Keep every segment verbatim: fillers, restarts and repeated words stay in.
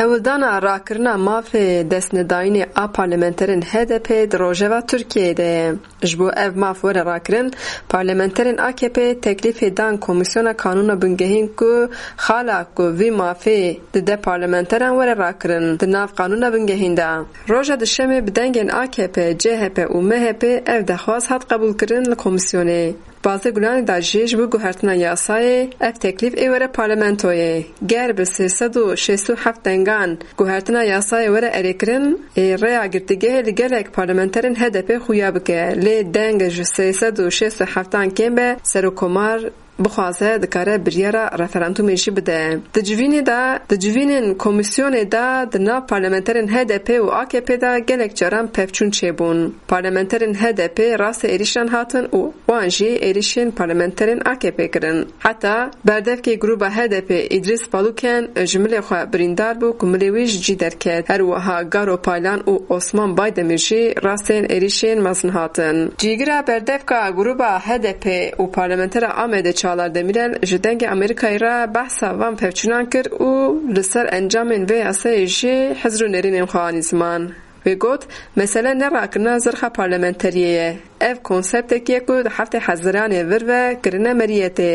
Hewldana rakirina mafê destnedayînê a parlamenterên H D P di rojeva Tirkiyeyê de ye. Ji bo ev maf were rakirin, parlamenterên A K P teklîfê dan Komîsyona Kanûna Bingehîn ku xala ku vî mafê dide parlamenteran were rakirin di nav Kanûna Bingehîn de. Roja Duşemê bi dengên A K P, C H P û M H P ev dexwaz hat qebûlkirin li komîsyonê. Bazê Gulanê de jî ji bo guhertina yasayê ev teklîf ê were parlamentoyê. Ger bi sê sed û şêst û heft dengan guhertina yasayê were erêkirin, ê rêya girtîgehê li gelek parlamenterên H D P xuya bike, lê deng ji sê sed û şêst û heftan kêm be, Serokomar bixwaze dikare biryara referandumê jî bide. Di civînê de, di civînên komîsyonê de di nav parlamenterên H D P û A K P de gelek caran pevçûn çêbûn. Parlamenterên H D P rastê êrişan hatin û wan jî êrişên parlamenterên A K P kirin. Heta berdevkê grûba H D P Îdrîs Baluken ji milê xwe birîndar bû ku milê wî ji cî derket. Her wiha Garo Paylan û Osman Baydemîr jî rastên êrişên mezin hatin. Cîgira berdevka grûba H D P û parlamentera Amedê Çağlar Demirel ji Dengê Amerîkayê re behsa van pevçûnan kir û li ser encamên vê yasayê jî hizr û nêrînên xwe anî ziman. Wê got, mesele ne rakirina zirxa parlamenteriyê ye. Ev konseptekî ye ku di heftê Heziranê vir ve kirine meriyetê.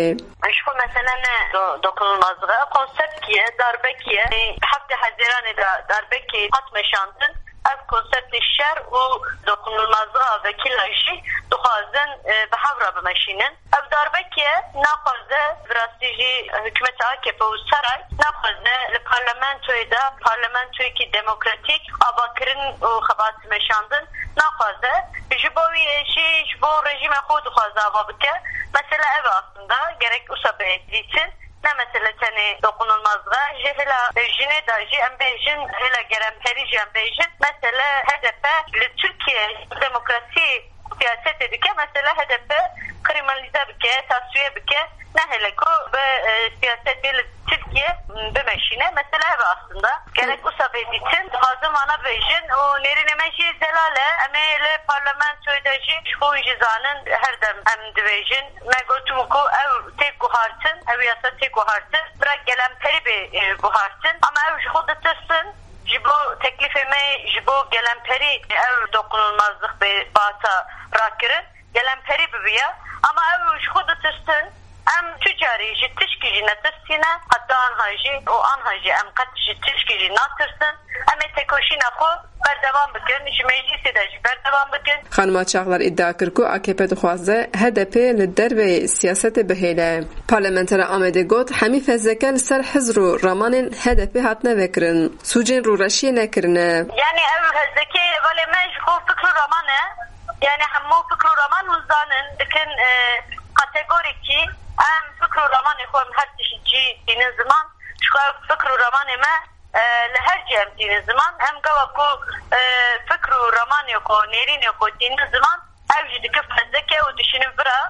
Ji xwe mesele ne do-, dokunulmazlığı, ev konseptkî ye, darbekî ye. Di heftê Heziranê de darbekî hat meşandin. Ev konseptê şer û dokunulmazlığa vekîla jî dixwazin, e, bi hev re bimeşînin. Ev darbekî ye, naxwaze, bi rastî jî hikûmeta A K P û saray naxwaze li parlamentoyê de, parlamentoyekî demokratîk avakirin û xebat meşandin naxwaze. Ji bo wî jî ji bo rejîmê xwe dixwaze ava bike. Mesele ev e aslında, gerek wisa bê dîtin. Ne mesele tenê dokunulmazlığa, ji hêla jinê de jî em bêjin, hêla gelemperî jî em bêjin. Mesele H D P li Tirkiye demokrasî siyasetê dike, mesele H D P kriminalize bike, tasfiye bike, ne hele ku bi, e, siyasetê li Tirkiye, m, bimeşîne. Mesele ev e aslında. Gerek wisa bê dîtin, dixwazim vana bêjin û nêrînê me jî zelal e. Em ê li parlamentoyê de jî ji xwe jî zanin, her dem em dibêjin. Me gotibû ku ew tê guhartin, ew yasa tê guhartin, bira gelemperî bê, e, guhartin. Ama ew ji xwe ditirsin. Ji bo teklîfê me, ji bo gelemperî ev dokunulmazlık bê bata rakirin, gelemperî bibiya. Ama ew ji xwe ditirsin, em tu carî ji tişkî jî netirsîne, heta anha jî û anha jî em qet ji tişkî jî natirsin. Em ê tekoşîna xwe berdewam bikin, ji meclîsê de jî berdewam bikin. Xanima Çağlar îdia kir ku A K P dixwaze H D P li derveyê siyasetê bihêle. Parlamentera Amedê got, hemî fezleke li ser hizr û ramanên H D P hatine vekirin. Sûcên rûreşiyê nekirine. Yani ev hezlekê hevalê me ji xwe fikr û raman e. Yani hemû fikr û raman hûn zanin, dikin, e, kategorîkî em fikr û ramanê xwe em her tişt cî tînin ziman. Ji xwe fikr û ramanê me, e, li her cî em tînin ziman. Em gava ku, e, fikr û ramanê xwe, nêrînê xwe tînin ziman, ev jî dikin fezleke û dişînin vira.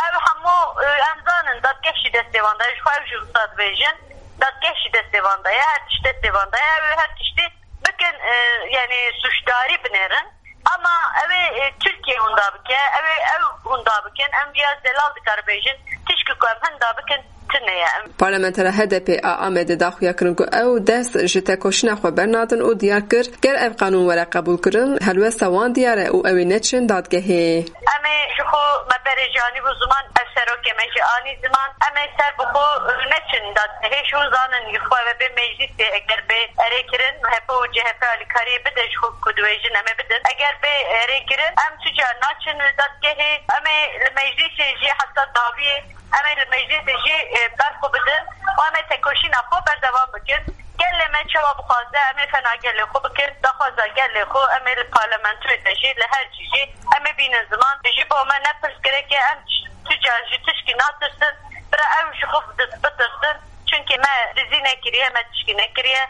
Ev hemû, e, em zanin, dadgeh jî destê wan de ye. Ji xwe ev jî wisa dibêjin. Dadgeh jî destê wan de ye, her tişt destê wan de ye. Ew ê her tiştî bikin, e, yani suçdarî binêrin. Ama ew ê, e, Tirkiye hunda bike, ew ê ew hunda bikin. Em viya zelal dikar bêjin. Tişkî ku em hinda bikin, tune ye. Em Parlamentera H D P a Amedê daxuya kirin ku ew dest ji tekoşîna xwe bernadin û diyar kir, ger ev qanûn were qebûlkirin, helwesta wan diyar e û ew ê neçin dadgehê. Em ê ji xwe me berê jî anî bû ziman, ev serokê me jî anî ziman. Em ê ser bi xwe neçin dadgehê, ji hûn zanin, ji xwe ve bê meclîsê, eger bê erê kirin, M H P û C H P alîkariyê bide ji xwe ku dibêjin em ê bidin. Eger bê erê kirin, em tu car naçin li dadgehê, em ê li meclîsê jî heta dawiyê, em ê li meclîsê jî, e, ber xwe bidin û em ê tekoşîna xwe berdewam bikin. Gelê me çawa bixwaze, em ê fena gelê xwe bikin, daxwaza gelê xwe, em ê li parlamentoyê de jî, li her cî jî, em ê bînin ziman. Ji bo me ne pirsgirêk e, em tu car ji tişkî natirsin, bira ew ji xwe bi-, bitirsin. Çunkî me dizî nekiriye, me tişkî nekiriye.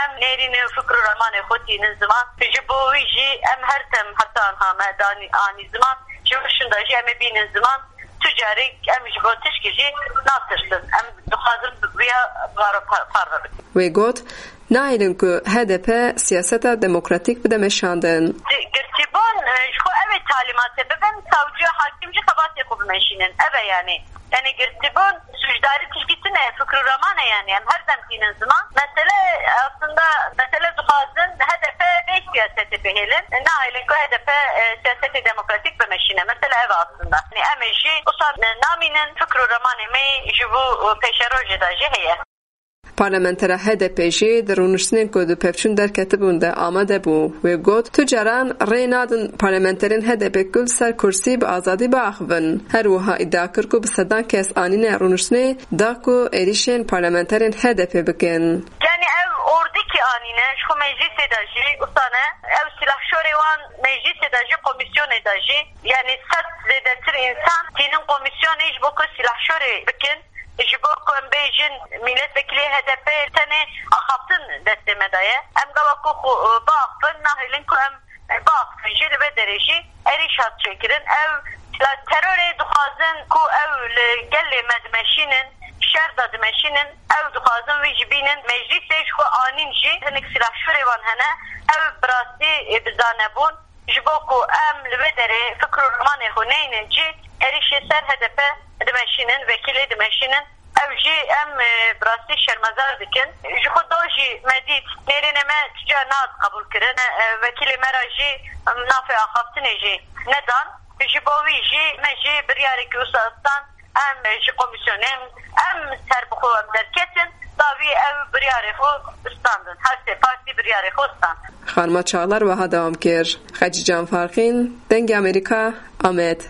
Em nêrînê û fikr û ramanê xwe tînin ziman. Ji bo wî jî em her dem heta niha me danî-, anî ziman. Ji wir şinda jî em ê bînin ziman. Tu carî em ji bo tişkî jî natirsin. Em dixwazin bi-, viya baro par-, parve bikin. Wê got, nahêlin ku H D P siyaseta demokratîk bide meşandin. Di-, girtîbûn, e, ji xwe ev ê talîmat Bibin savcı, hakim jî xebatê xwe bimeşînin. Ev e yani. Yani girtibûn, suçdarî tişkî tune, fikr û raman e yani. Em her dem tînin ziman. Mesele aslında, mesele dixwazin H D P vê siyasetê bihêlin. Nahêlin ku H D P, e, siyasetê demokratîk bimeşîne. Mesele ev e aslında. Yani em ê jî wisa, e, namînin fikr û ramanê me ji bo, e, pêşerojê de jî heye. Parlamentera H D P jî di rûniştinên ku di pevçûn derketibûn de amade bû. Wê got, tu caran rê nadin parlamenterên H D P ku li ser kursî bi azadî biaxivin. Her wiha îdia kir ku bi sedan kes anîne rûniştinê da ku êrîşên parlamenterên H D P bikin. Yani ev ordikî anîne, ji xwe meclîsê de jî wisa ne. Ev silahşorê wan meclîsê de jî, komîsyonê de jî, yani sed zêdetir însan tînin komîsyonê ji bo ku silahşorê bikin. Ji bo ku em bêjin, mîletvekilê H D P tenê axaftin destê me de ye. Em gava ku xwe, e, biaxifin, nahêlin ku em, e, biaxifin jî, li vê derê jî êrîş hat çêkirin. Ew la terorê dixwazin ku ew li gelê me dimeşînin, şer de dimeşînin, ew dixwazin wî jî bînin meclîsê, ji xwe anîn jî hinek silahşorê wan hene, ew bi rastî, e, bi zane bûn. Ji bo ku em li vê derê fikr û ramanê xwe neynin cî, êrîşê ser H D P dimeşînin, vekîlê dimeşînin. Ew jî em, e, bi rastî şermezar dikin. Ji xwe do jî me dît, nêrînê me tu ca nehatiye qebûlkirin. E, vekîlê me re jî navê axaftinê jî nedan. Ji bo wî jî me jî biryarekî wisa stan. Em ji komîsyonê, em ser bi xwe em derketin, dawî ew biryarê xwe standin. Her sê partî biryarê xwe stand. Xanima Çağlar wiha dewam kir. Xecîcan Farqîn, Dengê Amerîka, Amed.